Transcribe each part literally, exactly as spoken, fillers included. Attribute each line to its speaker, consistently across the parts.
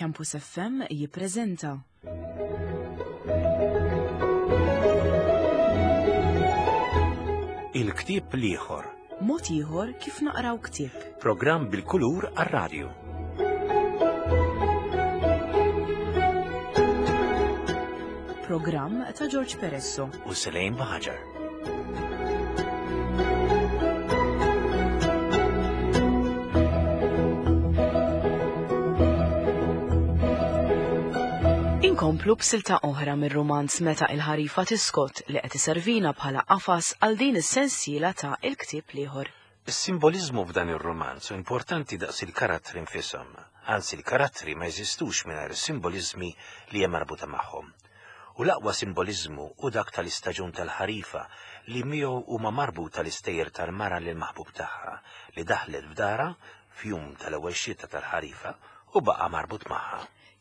Speaker 1: Campus F M jippreżenta
Speaker 2: Il-ktieb l-ieħor.
Speaker 1: Mod ieħor kif naqraw ktieb.
Speaker 2: Programm bil-kulur għar-radju.
Speaker 1: Programm ta' George Peresso.
Speaker 2: U Selejn Baħaġar.
Speaker 1: Inkomplu b'silta oħra mir-rumanz Meta il-ħarifa tiskot li qed iservina bħala qafas għal din is-sensiela ta' Il-ktieb l-ieħor.
Speaker 2: Is-simboliżmu f'dan ir-romanz hu importanti daqs il-karattri nfishom. Anzi, il-karattri ma jeżistux mingħajr is-simboliżmi li hemm marbuta magħhom. U l-aqwa simboliżmu hu dak tal-istaġun tal-ħarifa li miegħu huma marbuta l-istejjer tal-mara lil maħbub tagħha li daħlet f'dara f'jum tal-ewwel xita tal-ħarifa u baqa' marbut magħha.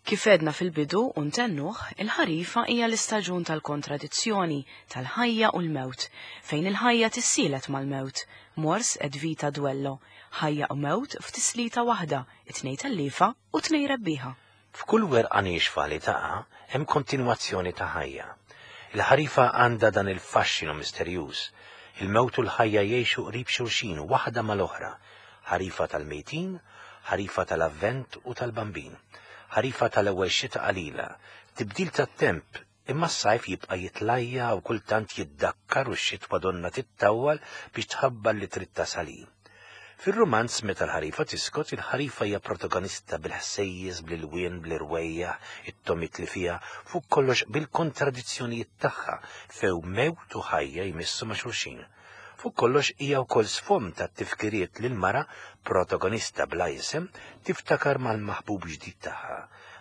Speaker 1: Kif għedna fil-bidu u ntennuh, il-ħarifa hija l-istaġun tal-kontradizzjoni, tal-ħajja u l-mewt, fejn il-ħajja tissielet mal-mewt, mors et vita duello, ħajja u mewt f'tislita waħda, it-tnejn telliefa u tnejn rebbieħa.
Speaker 2: F'kull werqa niexfa li taqa' hemm kontinwazzjoni ta' ħajja. Il-ħarifa għandha dan il-faxxinu misterjuż. Il-mewt u l-ħajja jgħixu qrib xulxin waħda mal-oħra. Ħarifa tal-mejtin, ħarifa tal-avvent u tal-bambin. Ħarifa tal-ewwel xita qalila, tibdil tat-temp, imma s-sajf jibqa' jitlajja u kultant jiddakkar u x-xitwa donna tittawwal biex tħabbar li trid tasal hi. Fir-rumanz Meta l-ħarifa tiskot, il-ħarifa hija protagonista bil-ħsejjes, bl-ilwien, bl-irwejjaħ, it-tomit li fiha, fuq kollox bil-kontradizzjonijiet tagħha few mewt u ħajja jmissu ma' xulxin. Fuq kollox hija wkoll sfond tat-tifkiriet li l-mara protagonista bla isem tiftakar mal-maħbub ġdid tagħha.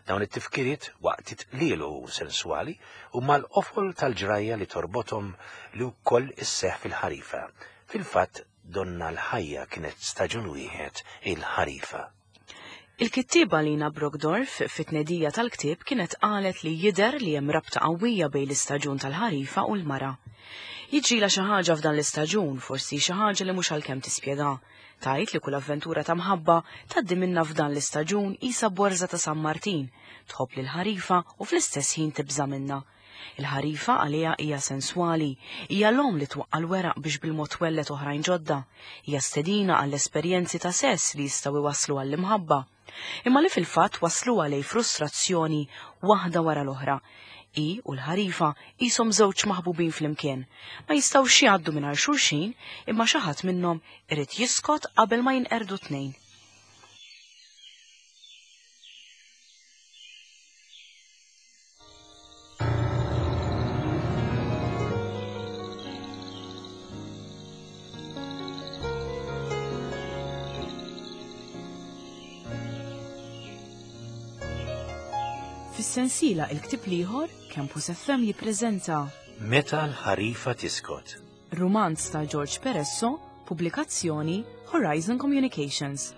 Speaker 2: Dawn it-tifkiriet waqt it-tqlielu senswali u mal-qofol tal-ġrajja li torbothom li wkoll isseħħ fil-ħarifa. Fil-fatt donna l-ħajja kienet staġun wieħed il-ħarifa.
Speaker 1: Il-kittieba Lina Brockdorff fit-tnedija tal-ktieb kienet qalet li jidher li hemm rabta qawwija bejn l-istaġun tal-ħarifa u l-mara. Jiġrilha xi ħaġa f'dan l-istaġun, forsi xi ħaġa li mhux għalkemm tispjega. Tgħid li kull avventura ta' mħabba tgħaddi minnha f'dan l-istaġun qisha borża ta' San Martin, tħobb lil ħarifa u fl-istess ħin tibża' minnha. Il-ħarifa għaliha hija senswali, hija l-omm li twaqqa' l-weraq biex bil-mod twellet oħrajn ġodda, hija stedina għall-esperjenzi ta' sess li jistgħu iwasslu għall-imħabba, imma li fil-fatt wasluha lejn frustrazzjoni waħda wara l-oħra. Hi u l-ħarifa qishom żewġ maħbubin flimkien, ma jistgħux jgħaddu mingħajr xulxin imma xi ħadd minnhom irid jiskot qabel ma jinqerdu tnejn. Fis-sensiela Il-ktieb l-ieħor, Campus F M jippreżenta
Speaker 2: Meta l-ħarifa tiskot.
Speaker 1: Rumanz ta' George Peresso, pubblikazzjoni Horizon Communications.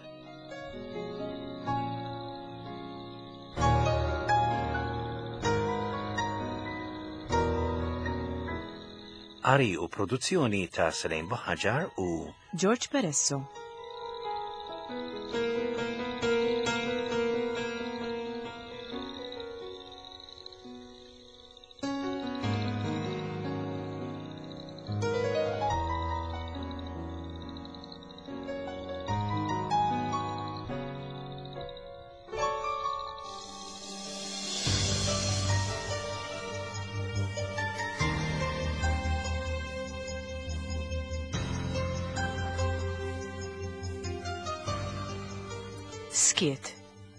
Speaker 2: Qari u produzzjoni ta' Selejn Buħaġar u
Speaker 1: George Peresso. Skiet,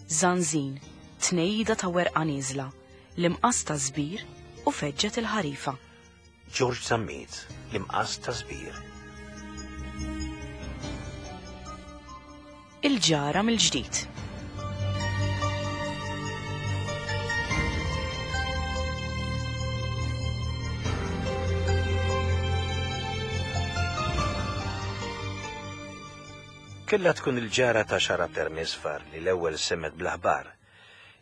Speaker 1: zanzin, tnejda ta' werqa nieżla, l-imqas ta' żbir u feġġet il-ħarifa.
Speaker 2: George Zammit, l-imqas ta' żbir.
Speaker 1: Il-ġara mill-ġdid.
Speaker 2: Kella tkun il-ġara ta' xara permisfar li l-ewwel semmet bl-aħbar.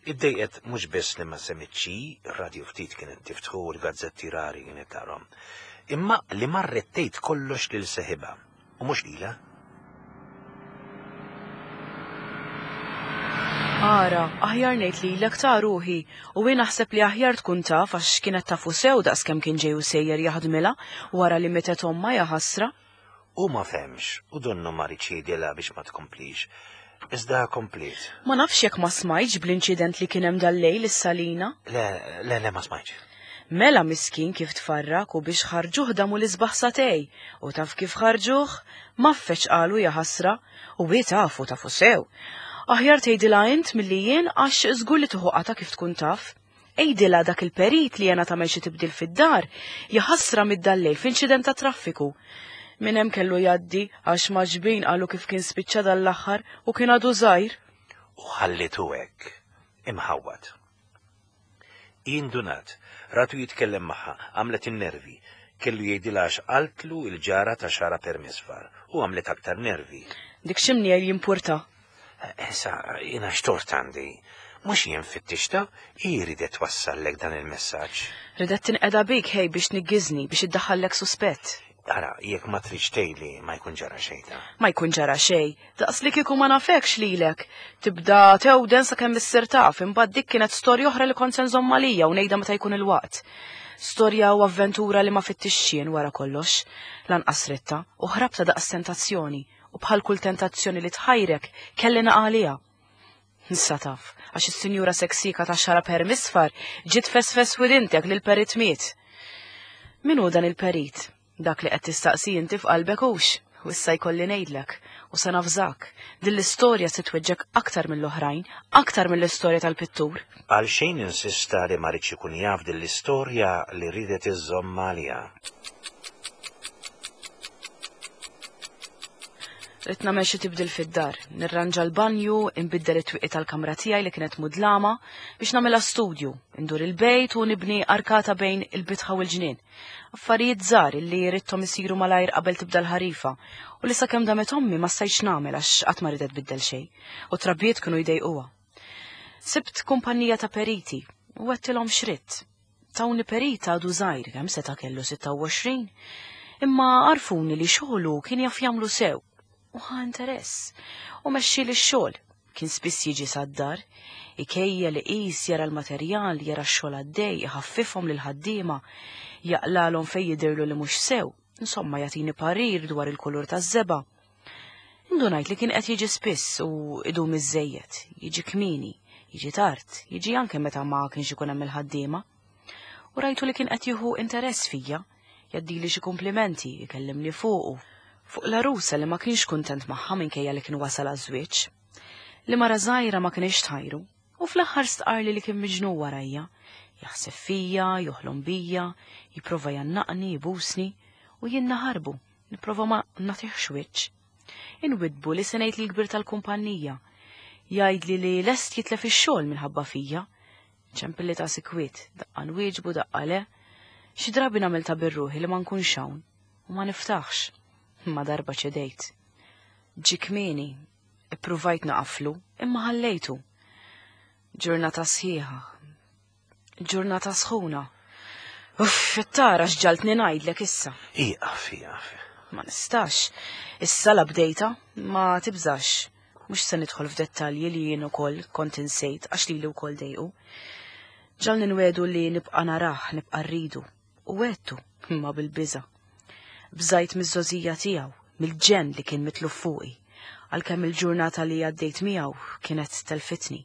Speaker 2: Iddejqet mhux biss li ma semmitx, ir-radju ftit kienet tiftħu u l-gazzetti rari kienet tarhom, imma li marret tgħid kollox lil seħibha u mhux lilha.
Speaker 1: Ara, aħjar ngħid lilek ta' ruħi, u jien naħseb li aħjar tkun taf għax kienet tafu sew daqskemm kien ġej u sejjer jaħdmilha wara li mietet ommha, ja ħasra.
Speaker 2: U ma fehmx, u donnu ma riedx jgħidilha biex ma tkomplix. Iżda kompliet.
Speaker 1: Ma nafx jekk ma smajtx bl-inċident li kien hemm dal-lejl is-Salina.
Speaker 2: Le, le, le, ma smajtx.
Speaker 1: Mela miskin kif tfarrak u biex ħarġuh damu l-isbaħ sagħtejn. U taf kif ħarġuh? Maffeċ qalu, ja ħasra. U hi tafu, tafu sew. Aħjar tgħidilha int milli jien għax żgur li tieħu qata kif tkun taf. Għidilha dak il-perit li jena tagħmel xi tibdil fid-dar, jaħasra mid-dallejl f'inċident ta' traffiku. Minn hemm kellu jgħaddi għax maġbin qalu kif kien spiċċa dal-aħħar u kien għadu żgħir.
Speaker 2: U ħallitu hekk, imħawwad. Indunat, ratu jitkellem magħha, għamlet in-nervi. Kellu jgħidilha għax qaltlu il-ġara ta' xara per misfar u għamlet aktar nervi.
Speaker 1: Dik x'imni jimpurta.
Speaker 2: Issa, jiena x'tort għandi. Mhux jien fittixta, hi ridet twassallek dan il-messaġġ.
Speaker 1: Ridet tinqeda bik ħej biex niggiżni biex iddaħħallek suspett.
Speaker 2: Ara, jekk ma tridx tgħidli ma jkun ġara xejn ta.
Speaker 1: Ma jkun ġara xejn, daqs li kieku ma nafekx lilek. Tibda tewden sakemm issir taf, imbagħad dik kienet storja oħra li kont se nżomm għalija u ngħidha meta jkun il-waqt. Storja u avventura li ma fittixxien wara kollox, lanqas ritta u ħrabta daqs tentazzjoni u bħal kull tentazzjoni li tħajrek kelli naqalija. Issa taf, għax is-sinjura seksika ta' xara per misfar ġiet fesfes widintek lil perit miet. Min hu dan il-perit? Dak li qed tistaqsi inti f'qalbek hux, u issa jkolli ngħidlek, u se nafżak, din l-istorja se tweġġek aktar mill-oħrajn, aktar mill-istorja tal-pittur.
Speaker 2: Għal xejn insista li ma ridx ikun jaf din l-istorja li ridet iżżomm għaliha.
Speaker 1: Ridt nagħmel xi tibdil fid-dar, nirranġa l-banju, inbiddel it-twieqi tal-kamra tiegħi li kienet mudlama biex nagħmilha studju, indur il-bejt u nibni arkata bejn il-bitħa u l-ġnien. Affarijiet żgħar li ridthom isiru malajr qabel tibda l-ħarifa u li sakemm damet ommi ma stajtx nagħmel għax qatt ma ridet tbiddel xejn u trabbiet kienu jdejquha. Sibt kumpanija ta' periti u għedtilhom x'ridt. Tawni perita għadu żgħir kemm seta' kellu sitta u għoxrin, imma għarfuni li xogħlu kien jaf jagħmlu sew. U ħa interess, u mexxi li x-xogħol. Kien spiss jiġi sad-dar, ikejja li qis jara l-materjal, jara x-xogħol għaddej, iħaffifhom lil ħaddiema, jaqlalhom fejn jidhirlu li mhux sew, insomma jagħtini parir dwar il-kulur taż-żebgħa. Indunajt li kien qed jiġi spiss u idum iżżejjed, jiġi kmieni, jiġi tard, jiġi anke meta ma kienx ikun hemm il-ħaddiema. U rajtu li kien qed jieħu interess fija, jgħaddili xi kumplimenti, ikellimni fuqu. Fuq l-arusa li ma kienx kuntent magħha minkejja li kien wasal għaż-żwieġ. Li mara żgħira ma kienx tħajru, u fl-aħħar stqarli li kien miġnun warajja. Jaħseb fija, joħlom bija, jipprova jannaqni, jibusni, u jien naħarbu, nipprova ma nagħtihx wiċċ. Inwidbu li se ngħid lill-kbir tal-kumpanija. Jgħidli li lest jitlef ix-xogħol minħabba fija. Ċempilli ta' sikwit, daqqa nwieġbu, daqqa le. Xi drabi nagħmel ta' birruħi li ma nkunx hawn u ma niftaħx. Ma darba ċedejt. Ġie kmieni, ippruvajt naqaflu, imma ħallejtu. Ġurnata sħiħa, ġurnata sħuna. Uff, tara x'ġaltni ngħidlek issa.
Speaker 2: Ieqaf, ieqaf.
Speaker 1: Ma nistax. Issa la bdejta, ma tibżax. Mhux se nidħol f'dettalji li jien ukoll kont insejt għax lili wkoll dejqu. Ġalni nwedu li nibqa' narah, nibqa' rridu. U għedtu, imma bil-biża'. Bżajt miż-żożija tiegħu, mill-ġenn li kien mitluf fuqi, għalkemm il-ġurnata li għaddejt miegħu kienet telfitni.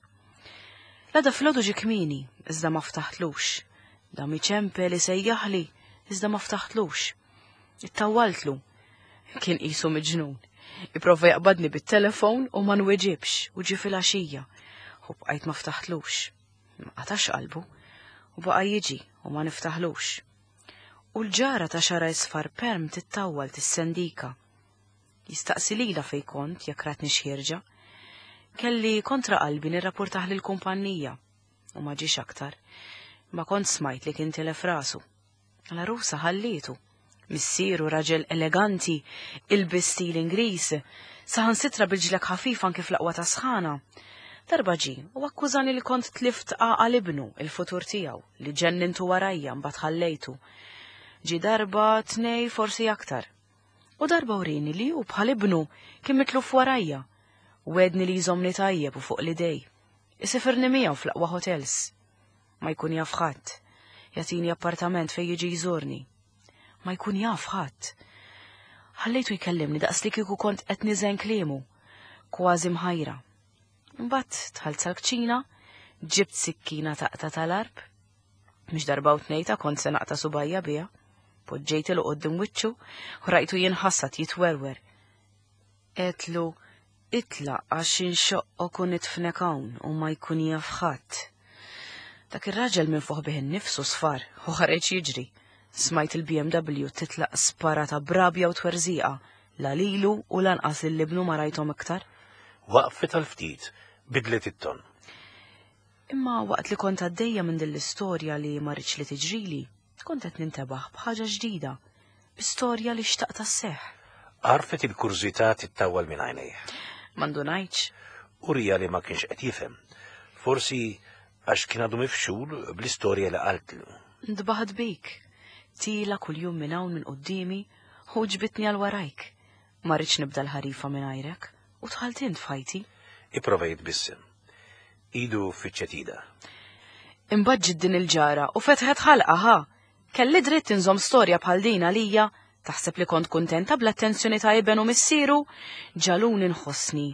Speaker 1: L-għada filgħodu ġie kmieni, iżda ma ftaħtlux. Dam iċempel isejjaħli, iżda ma ftaħtlux. Ittawwaltlu. Kien qisu miġnun. Ipprova jaqbadni bit-telefon u ma nweġibx u ġie filgħaxija. U bqajt ma ftaħtlux. Ma qatax qalbu u baqa' jiġi u ma niftaħlux. U l-ġara ta' xara isfar perm tittawwal tissendika. Jistaqsi lila fej kont jekk ratni xierġa. Kelli kontra qalbi nirrapportaħ lill-kumpanija u ma ġiex aktar. Ma kont smajt li kien tilef rasu. L-arusa ħallietu. Missieru raġel eleganti, ilbis stil Ingliż, saħansitra bil-ġlek ħafif anke fl-aqwa ta' sħana. Darba ġie u akkużani li kont tlift għaqal ibnu il-futur tiegħu li ġennintu warajja mbagħad ħallejtu. Ġie darba tnej forsi aktar. U darba urini li hu bħal ibnu kien mitluf warajja. Wedni li jżomni tajjeb u fuq l-idej. Isifirni miegħu fl-aqwa hotels. Ma jkun jaf ħadd. Jagħtini appartament fejn jiġi jżurni. Ma jkun jaf ħadd. Ħallejtu jkellimni daqs li kieku kont qed niżen kliemu, kważi mħajra. Imbagħad dħalt sal-kċina, ġibt sikkina taqta' tal-arb. Mhux darba u tnejn ta' kont se naqta' subgħajja biha. Poġġejtilu quddiem wiċċu u rajtu jinħassad jitwerwer. Għedtlu itlaq għax inxoqqok u nidfnek hawn u ma jkun jaf ħadd. Dak ir-raġel minn fuq bih innifsu sfar u ħareġ jiġri. Smajt il-B M W titlaq sparata b'rabja u twerżiqa, la lilu u lanqas lil ibnu ma rajthom iktar.
Speaker 2: Waqfet għal ftit, bidlet it-ton.
Speaker 1: Imma waqt li kont għaddejja minn din l-istorja li ma rridx li tiġrili, kont qed nintebaħ b'ħaġa ġdida, bi storja li xtaqt isseħħ.
Speaker 2: Għarfet il-kurżità tittawwal minn għajnejh.
Speaker 1: Ma ndunajtx.
Speaker 2: Uriha li ma kienx qed jifhem. Forsi għax kien għadu mifxul bl-istorja li qaltlu.
Speaker 1: Ntbaħt bik. Tiela' kuljum minn hawn minn quddiemi u ġbidtni għal warajk. Ma rridx nibda l-ħarifa minn għajrek u dħalt int f'ħajti.
Speaker 2: Ipprova jitbissem. Idu fittxet idha.
Speaker 1: Imbagħad ġiet din il-ġara u fetħet ħalqha ħa. Kelli dritt inżomm storja bħal din għalija. Taħseb li kont kuntenta bl-attenzjoni ta' iben u missieru? Ġaluni nħossni.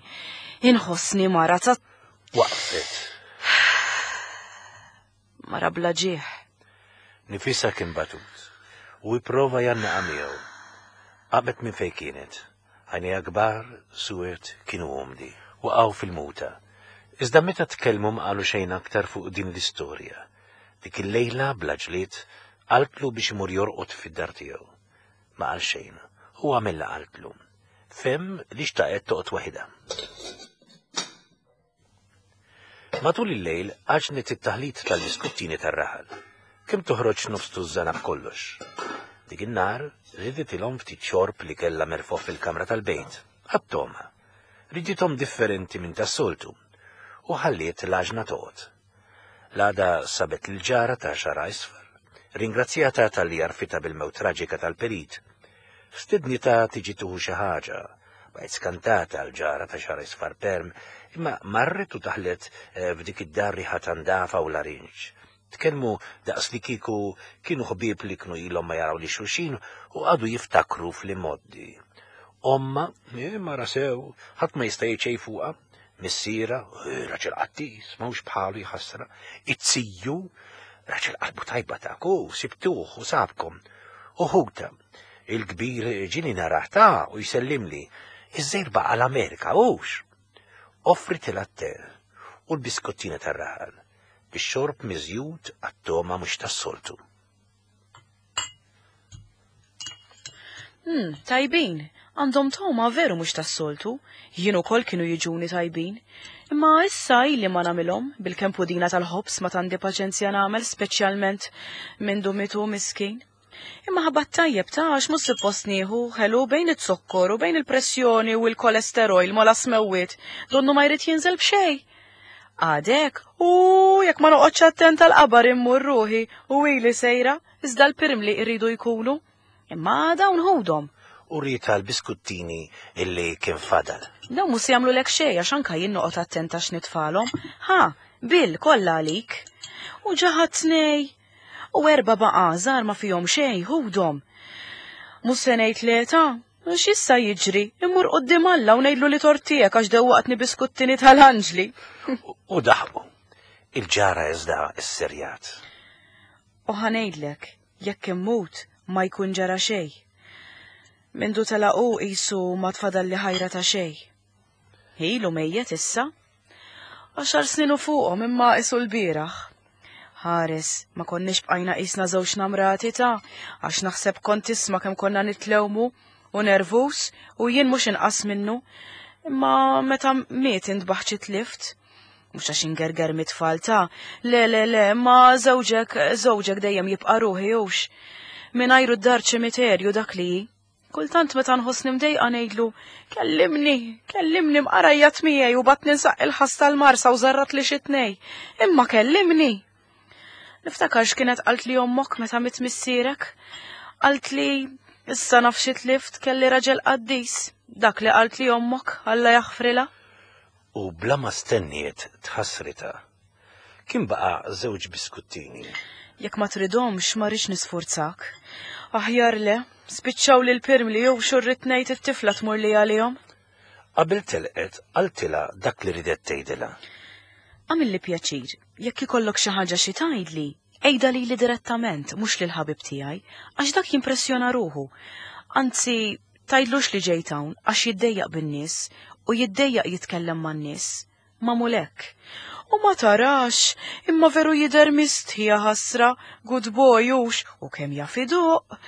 Speaker 1: Inħossni mara ta'
Speaker 2: Waqfet.
Speaker 1: Mara bla ġieħ.
Speaker 2: Nifisha kien batut u ipprova jgħannaqha miegħu. Qamet minn fejn kienet. Għajnejha kbar, suwed, kienu umdi. Waqgħu fil-muta. Iżda meta tkellmu ma qalu xejn aktar fuq din l-istorja. Dik il-lejla bla ġlied qaltlu biex imur jorqod fid-dar tiegħu. Ma qal xejn, u għamel li qaltlu. Fehem li xtaqet toqgħod waħidha. Matul il-lejl għaġnet it-taħlit tal-biskuttini tar-raħal. Kemm toħroġ nofs tużżana b'kollox. Dik in-nhar żiditilhom ftit xorb li kellha merfugħ fil-kamra tal-bejt. Għat-togħma. Ridithom differenti minn tas-soltu. U ħalliet l-għaġna toqgħod. L-għada sabet l-ġara ta' xagħarha isfar. Ringrazzjatha talli għarrfitha bil-mewt traġika tal-perit. Stidnitha tiġi tieħu xi ħaġa. Baqgħet skantata l-ġara ta' xagħarha isfar perm, imma marret u daħlet eh, f'dik id-dar riħa ta' ndafa u larinġ. Tkellmu daqs li kieku kienu ħbieb li kienu ilhom ma jaraw lil xulxin u għadu jiftakru fl-imgħoddi. Ommha, eh, mara sew, ħadd ma jista' jgħid xejn fuqha, missierha, eh, raġel qattis, m'hawnx bħalu jaħasra, it-siju, raġel qalbu tajba ta' ku, sibtuh u sabkom. U ħuta, il-kbir ġieli narah ta' u jsellimli, iż-żgħir baqa' l-Amerika, hux. Offritilha t-te u l-biskottina tar-raħal, bix-xorb miżjud għat-togħma mhux tas-soltu.
Speaker 1: Hmm, tajbin, għandhom togħma veru mhux tas-soltu, jien ukoll kienu jiġuni tajbin. Imma issa ili ma nagħmilhom bil-kemm pudina tal-ħobż ma għandi paċenzja nagħmel speċjalment minn mitu miskin. Imma ħabat tajjeb ta' għax mhux suppost nieħu ħelu bejn it-zokkor u bejn il-pressjoni u l-kolesterol mola smewwiet, donnu ma jrid jinżel b'xejn. Għadek, u jekk ma noqgħodx attent tal-qabar immur ruħi u ili sejra, iżda l-pirmli jridu jkunu. Imma dawn ħudhom.
Speaker 2: U wrietha l-biskuttini illi kien fadal.
Speaker 1: Dawn mhux se jagħmlulek xejn għax anka jien noqgħod attenta x'nitfalhom. Ha, Bill kollha għalik. U ġaħat tnej. U erba' baqa' żgħar ma fihom xejn, ħudhom. Mhux se ngħid le ta' x'issa jiġri, immur quddiem Alla u ngħidlu li tort tiegħek għax dewwaqtni biskuttini tal-anġli.
Speaker 2: U daħqu. Il-ġara iżda sserjat.
Speaker 1: U ħa ngħidlek, jekk immut ma jkun ġara xejn. Mindu telaq hu qisu ma tfadalli ħajra ta' xejn. Ilu mejjet issa. Għaxar snin u fuqhom imma qisu l-bieraħ. Ħares, ma konniex bqajna qisna żewġ namrati ta' għax naħseb kont tisma' kemm konna nitlewmu u nervus u jien mhux inqas minnu. Imma meta miet intbaħt xi tlift. Mhux għax ingerger mit-tfal ta' le le le, ma żewġek, żewġek dejjem jibqa' ruħi hux. Mingħajru d-dar ċimiterju dak li hi. Kultant meta nħossni mdejqa ngħidlu, kellimni, kellimni mqarajjat miegħi u bat ninsaq il-ħass tal-marsa u żarrat li xi tnej. Imma kellimni. Niftakar x'kienet qalt li ommok meta miet missierek. Qalt li issa naf xi tlift kelli raġel qaddis. Dak li qalt li ommok, Alla jaħfrilha.
Speaker 2: U bla ma stenniet tħassritha. Kien baqa' żewġ biskuttini.
Speaker 1: Jekk ma tridhomx ma rridx nisfurzak. Aħjar le, spiċċaw lil pirmli jew xurrit ngħid it-tifla tmur li għalihom.
Speaker 2: Qabel telqet qaltilha dak li ridet tgħidilha.
Speaker 1: Għamilli pjaċir, jekk ikollok xi ħaġa xi tgħidli, għidha lili direttament, mhux lil ħabib tiegħi, għax dak jimpressjona ruħu. Anzi, tgħidlux li ġejt hawn għax jiddejjaq bin-nies u jiddejjaq jitkellem man-nies. Magħmul hekk. U ma tarax, imma veru jidher mistħija ħasra, good boy hux, u kemm jaf idoqq.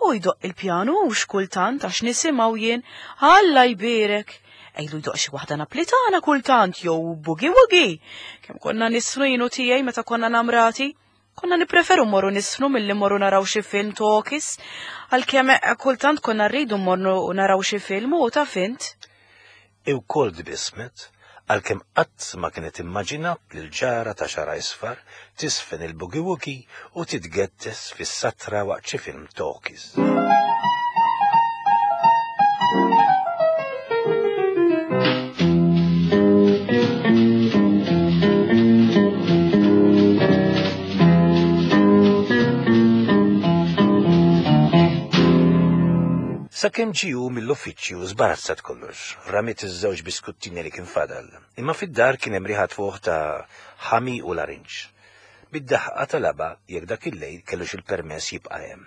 Speaker 1: U jdoqq il-pjanu hux kultant għax nisimgħu jien, Alla jbierek. Ejlu jdoqq xi waħda Naplitana kultant jew boogie woogie. Kemm konna nisfnu jien u tiegħi meta konna namrati. Konna nippreferu mmorru nisfnu milli mmorru naraw xi film talkies, għalkemm kultant konna rridu mmorru naraw xi film u taf int.
Speaker 2: Iwkoll tbissmet, għalkemm qatt ma kienet immaġinat li l-ġara ta' xara isfar tisfen il-boogie woogie u titgettes fis-satra waqt xi film talkies. Sakemm ġiju mill-uffiċċju żbarazzat kollox, ramiet iż-żewġ biskuttini li kien fadal, imma fid-dar kien hemm riħa tfuħ ta' ħami u larinġ. Bid-daħqa talaba jekk dak il-lejl kellux il-permess jibqa' hemm.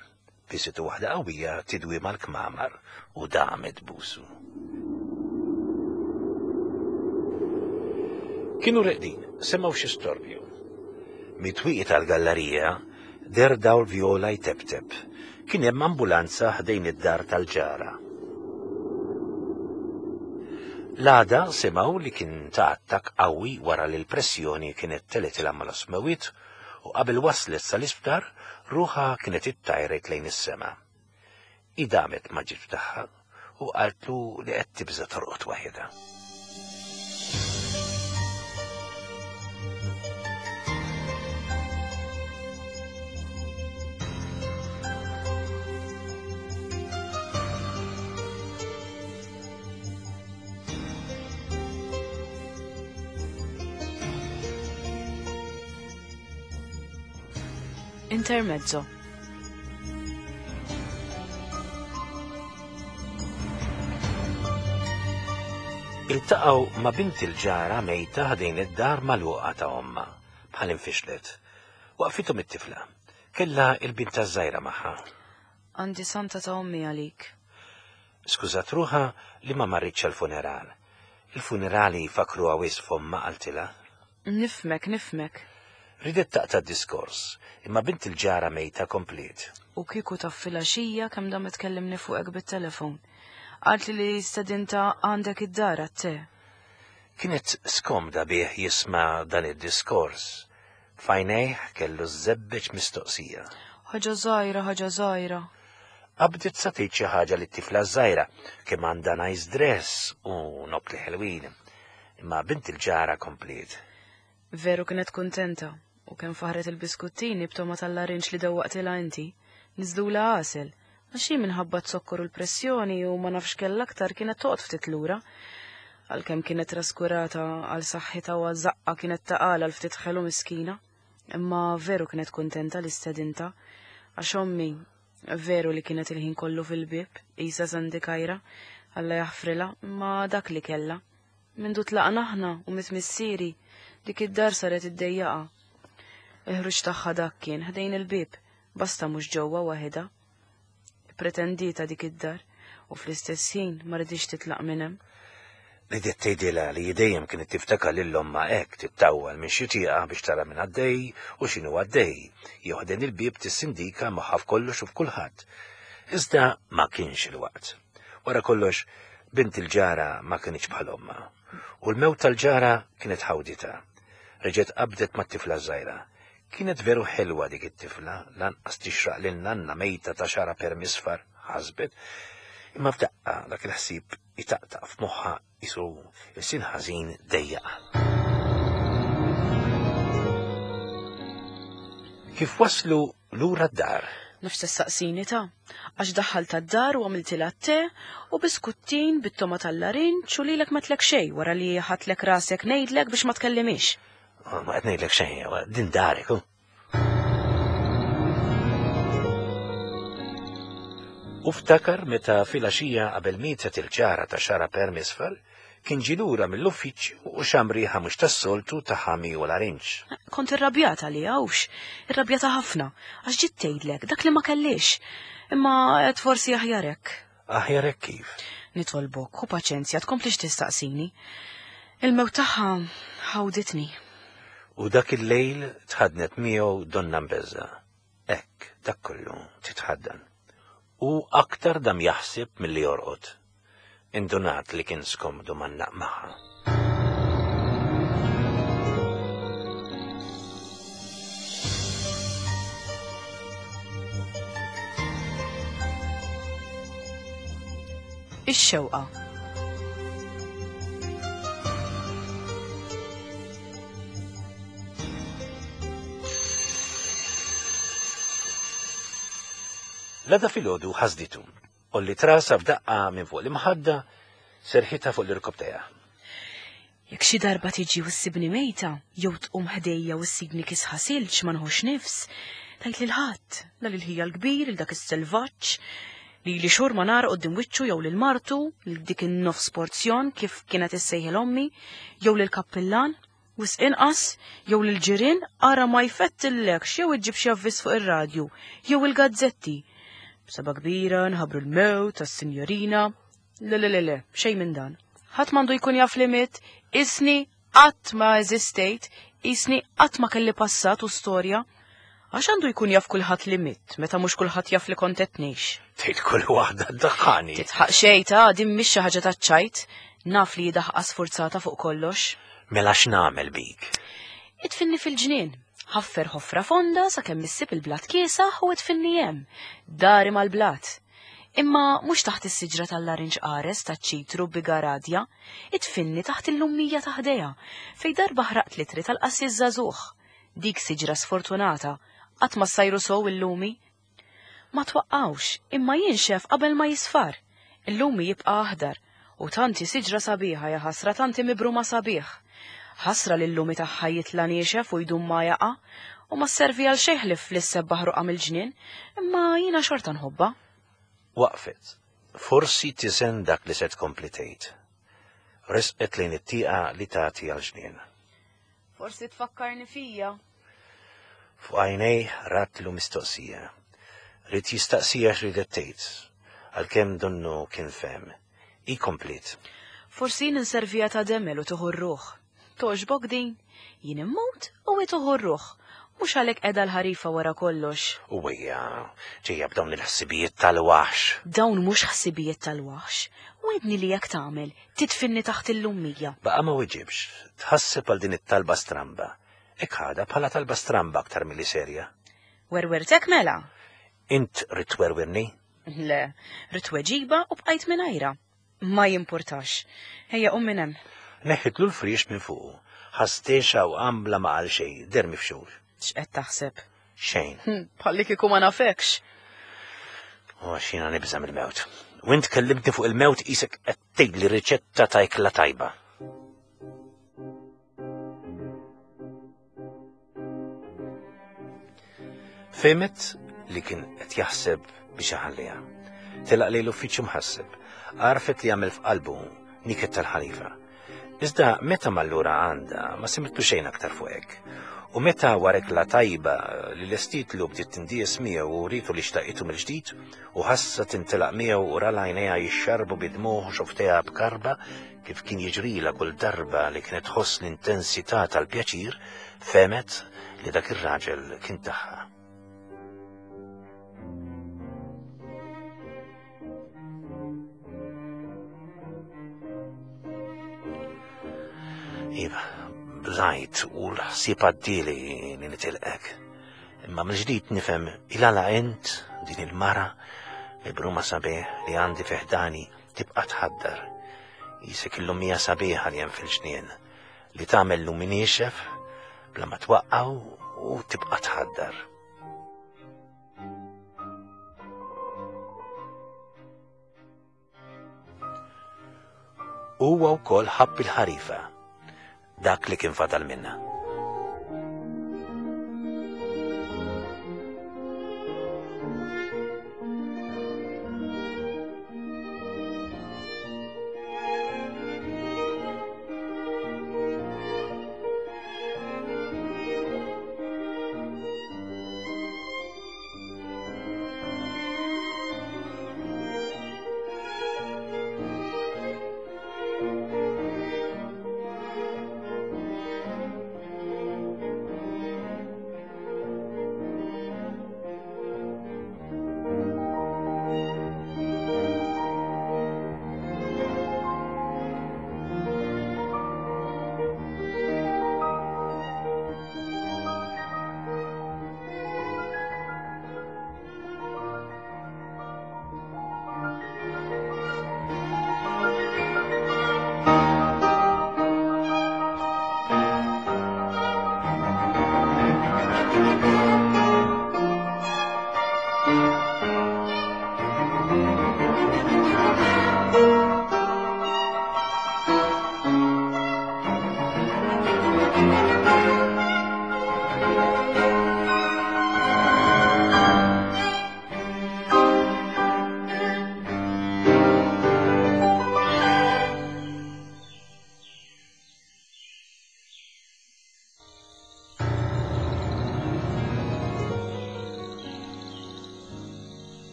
Speaker 2: Bisitu waħda qawwija tidwi mal-kmamar u damet busu. Kienu reqdin, semgħu xi storbju. Mitwieqi tal-gallerija der dawl vjola jtebteb. Kien hemm ambulanza ħdejn id-dar tal-ġara. L-għada semgħu li kien ta' attakk qawwi wara li l-pressjoni kienet teletilha mal-osmewit u qabel waslet sal-isptar ruħha kienet ittajret lejn is-sema. Idamet ma ġiet tagħha u qaltlu li qed tibża' torqod waħedha.
Speaker 1: Intermezzo.
Speaker 2: Iltaqgħu ma' bint il-ġara mejta ħdejn id-dar magħluqa ta' ommha, bħal infixlet. Waqfithom it-tifla. Kellha il-binta żgħira magħha.
Speaker 1: Għandi santa ta' ommi għalik.
Speaker 2: Skużat ruħha li ma marritx għall-funeral. Il-funerali jfakruha wisq f'ommha qaltilha.
Speaker 1: Nifmek, nifmek.
Speaker 2: Ridet taqta' diskors, imma bint il-ġara mejta kompliet.
Speaker 1: U kieku taf filgħaxija kemm damet tkellimni fuqek bit-telefon. Qaltli li stedinta għandek id-dar għat-te.
Speaker 2: Kienet skomda bih jisma' dan id-diskors. F'għajnejh kellu żebbeġ mistoqsija.
Speaker 1: Ħaġa żgħira, ħaġa żgħira.
Speaker 2: Qabdet sa tgħid xi ħaġa lit-tifla żgħira kemm għandha nice dress u nokli ħelwin. Imma bint il-ġara kompliet.
Speaker 1: Veru kienet kuntenta. U kemm faħret il-biskuttini b'toma tal-larinġ li dewwaqtilha inti, niżlula għasel, għax hi minħabba t-zokkor u l-pressjoni u ma nafx kellha aktar kienet toqgħod ftit lura. Għalkemm kienet traskurata għal saħħitha u għaż-żaqqa kienet taqala għal ftit ħelu miskina. Imma veru kienet kuntenta li stedinta, għax ommi veru li kienet il-ħin kollu fil-bieb, qisha Sandi Kajra, Alla jaħfrilha, imma dak li kellha. Mindu tlaqna aħna u mit missieri, dik id-dar saret iddejjaqa. Il-ħruġ tagħha dak kien ħdejn il-bieb, basta mhux ġewwa waħedha. Pretendita dik id-dar u fl-istess ħin ma ridix titlaq minn hemm.
Speaker 2: Ridet tgħidilha li dejjem kienet tiftakar lil ommha hekk tittawwal minn xi tieqa biex tara minn għaddej u x'inhu għaddej, jew ħdejn il-bieb tissindika moħħha f'kollox u f'kulħadd. Iżda ma kienx il-waqt. Wara kollox, bint il-ġara ma kienx bħal ommha. U l-mewt tal-ġara kienet ħawdita. Reġgħet qabdet mat-tifla żgħira. Kienet veru ħelwa dik it-tifla, lanqas tixraq lil nanna mejta ta' xara per misfar, ħasbet. Imma f'daqqa dak il-ħsieb itaqtaq f'moħħha isu il-sin ħażin dejjaqa. Kif waslu lura d-dar?
Speaker 1: Nafx tistaqsini ta' għax daħħaltha d-dar u għamiltilha te u biskuttin bit-toma tal-larinġ u lilek ma tlek xejn wara li ħadtlek rasek ngħidlek biex ma tkellimix.
Speaker 2: Ma qed ngħidlek xejn, din darek. U ftakar meta filgħaxija qabel mietet il-ġara ta' xara per misfel, kien ġie lura mill-uffiċċju u xam riħa mhux tas-soltu ta' ħami u larinġ.
Speaker 1: Kont irrabjata li hawnx, irrabjata ħafna, għax ġiet tgħidlek dak li ma kellix. Imma qed forsi aħjar hekk.
Speaker 2: Aħjar hekk kif?
Speaker 1: Nitolbok, ħu paċenzja, tkomplix tistaqsini. Il-mewt tagħha ħawditni.
Speaker 2: U dak il-lejl tħadnet miegħu donna mbeżza. Hekk, dak kollu titħaddan. U aktar dam jaħseb milli jorqod. Indunat li kien skomdu mannaq magħha.
Speaker 1: Ix-xewqa.
Speaker 2: L-għada filgħodu ħasditu. Olli trasa f'daqqa minn fuq l-imħadda, serħitha fuq l-irkob tagħha.
Speaker 1: Jekk xi darba tiġi u ssibni mejta, jew tqum ħdejja u ssibni kisħa silġ ma nħux nifs, tgħid lil ħadd, la lil ħija l-kbir, lil dak is-selvaġġ, li li xhur ma nara quddiem wiċċu jew lil martu, lil dik in-nofs porzjon kif kienet issejħel ommi, jew lil kappillan, wisq inqas, jew lil ġirien ara ma jfettillekx jew iġġib xi avviż fuq ir-radju, jew il-gazzetti. B'seba kbira nħabbru l-mewt tas-sinjorina. Le, le, le, le, xejn minn dan. Ħadd m'għandu jkun jaf li miet, isni qatt ma eżistejt, isni qatt ma kelli passat u storja. Għax għandu jkun jaf kulħadd li mitt, meta mhux kulħadd jaf li kont qed ngħix.
Speaker 2: Tgħid kull waħda ddaħħani.
Speaker 1: Titħaq xejn ta' din mhix xi ħaġa taċ-ċajt, naf li daħqa sfurzata fuq kollox.
Speaker 2: Mela x'nagħmel bik?
Speaker 1: Idfinni fil-ġnien. Ħaffer ħofra fonda sakemm issib il-blat kiesaħ u idfinni hemm, dari mal-blat. Imma mhux taħt is-siġra tal-larinġ qares taċ-ċitru bigaradja, idfinni taħt il-lummija ta' ħdejha, fej darba ħraqt litri tal-qassis żagħżugħ. Dik siġra sfortunata, qatt ma ssajru sew il-lumi. Ma twaqqawx, imma jinxef qabel ma jisfar. Il-lumi jibqa' aħdar, u tanti siġra sabiħa ja ħasra tanti mibruma sabiħ. Ħasra li l-lumi tagħha jitla' niexef u jdum ma jaqa' u ma sservi għal xejn ħlief li ssebbaħ ruqa mill-ġnien, imma jiena xorta nħobbha.
Speaker 2: Waqfet. Forsi tisen dak li se tkompli tgħid. Resqet lejn it-tieqa li tagħti għall-ġnien.
Speaker 1: Forsi tfakkarni fija.
Speaker 2: Fuq għajnej ratlu mistoqsija. Rid jistaqsija x'ridet tgħid, għalkemm donnu kien fehem. Hi komplet.
Speaker 1: Forsi ninservija ta' demel u tieħu r-ruħ. Toġbok din, jien immut u hi tieħu r-ruħ. Mhux għalhekk qiegħda l-ħarifa wara kollox.
Speaker 2: U hija ġejja b'dawn il-ħsibijiet tal-waħx.
Speaker 1: Dawn mhux ħsibijiet tal-waħx. Wedni li jekk tagħmel, titfinni taħt il-lummija.
Speaker 2: Baqa' ma weġibx, tħasseb għal din it-talba stramba. Hekk ħadha bħala talba stramba aktar milli serja.
Speaker 1: Werwertek mela?
Speaker 2: Int rid twerwirni?
Speaker 1: Le, rid tweġiba u bqajt mingħajra. Ma jimpurtax. Ejja qum minn hemm.
Speaker 2: Neħħitlu l-friex minn fuqu. Ħastexa u għambla ma qal xejn, der mifxul.
Speaker 1: X'qed taħseb?
Speaker 2: Xejn.
Speaker 1: Bħalli kieku ma nafekx.
Speaker 2: U għax jiena nibża' mill-mewt. U int kellimtni fuq il-mewt qisek qed tgħidli riċetta ta' ikla tajba. Fehmet li kien qed jaħseb biex iħalliha. Telaq lejn l-uffiċċju mħasseb. Għarfet li għamel f'qalbu niket tal-ħalifa. Iżda meta mallura għandha ma simtlu xejn aktar fuq hekk. U meta warek la tajba li l-estitlu bdiet tindies miegħu u ritu li xtaqitu mill-ġdid u ħassa tintelaq miegħu u ra għajnejha jixxarbu bidmuħ u xofteha b'karba kif kien jiġrila kull darba li kienet tħoss l-intensità tal-pjaċir, fehmet li dak ir-raġel kien tagħha. Iva, bżajt u l-ħsieb għaddieli li nitilqek. Imma mill-ġdid nifhem il-għala int din il-mara mibruma sabiħ li għandi fiħdani tibqa' tħaddar. Isek il-lumija sabiħa li hemm fil-ġnien li tagħmel lumi niexef bla ma twaqqaw u tibqa' tħaddar. Huwa wkoll ħabb il-ħarifa, dak li kien fadal minna.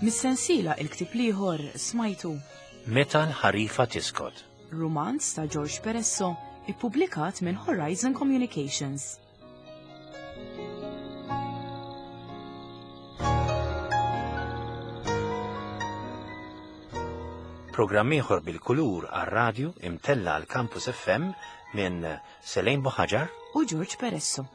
Speaker 1: Mis-sensiela il-ktieb l-ieħor smajtu
Speaker 2: Meta l-ħarifa tiskot.
Speaker 1: Rumanz ta' George Peresso, ippubblikat minn Horizon Communications.
Speaker 2: Programm ieħor bil-kulur għar-radju imtella għal Campus F M minn Selene Buhagiar
Speaker 1: u George Peresso.